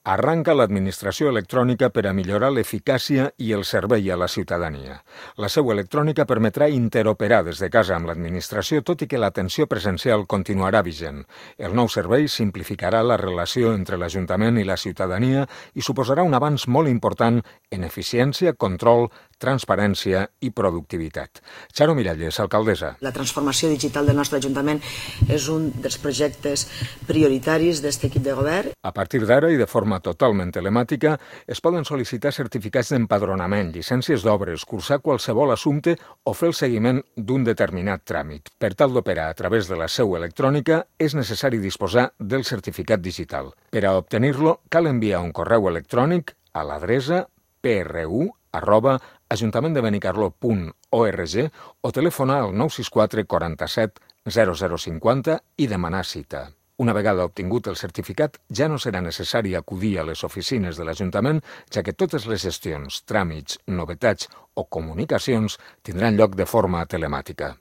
Arranca l'administració electrònica per a millorar l'eficàcia i el servei a la ciutadania. La seu electrònica permetrà interoperar des de casa amb l'administració, tot i que l'atenció presencial continuarà vigent. El nou servei simplificarà la relació entre l'Ajuntament i la ciutadania i suposarà un avanç molt important en eficiència, control, transparència i productivitat. Charo Miralles, alcaldessa. La transformació digital del nostre Ajuntament és un dels projectes prioritaris d'aquest equip de govern. A partir d'ara i de forma totalment telemàtica, es poden sol·licitar certificats d'empadronament, llicències d'obres, cursar qualsevol assumpte o fer el seguiment d'un determinat tràmit. Per tal d'operar a través de la seu electrònica, és necessari disposar del certificat digital. Per a obtenir-lo, cal enviar un correu electrònic a l'adreça pru@ajuntamendebenicàrlol.org o telefonar al 964 47 0050 i demanar cita. Una vegada obtingut el certificat, ja no serà necessari acudir a les oficines de l'Ajuntament, ja que totes les gestions, tràmits, novetats o comunicacions tindran lloc de forma telemàtica.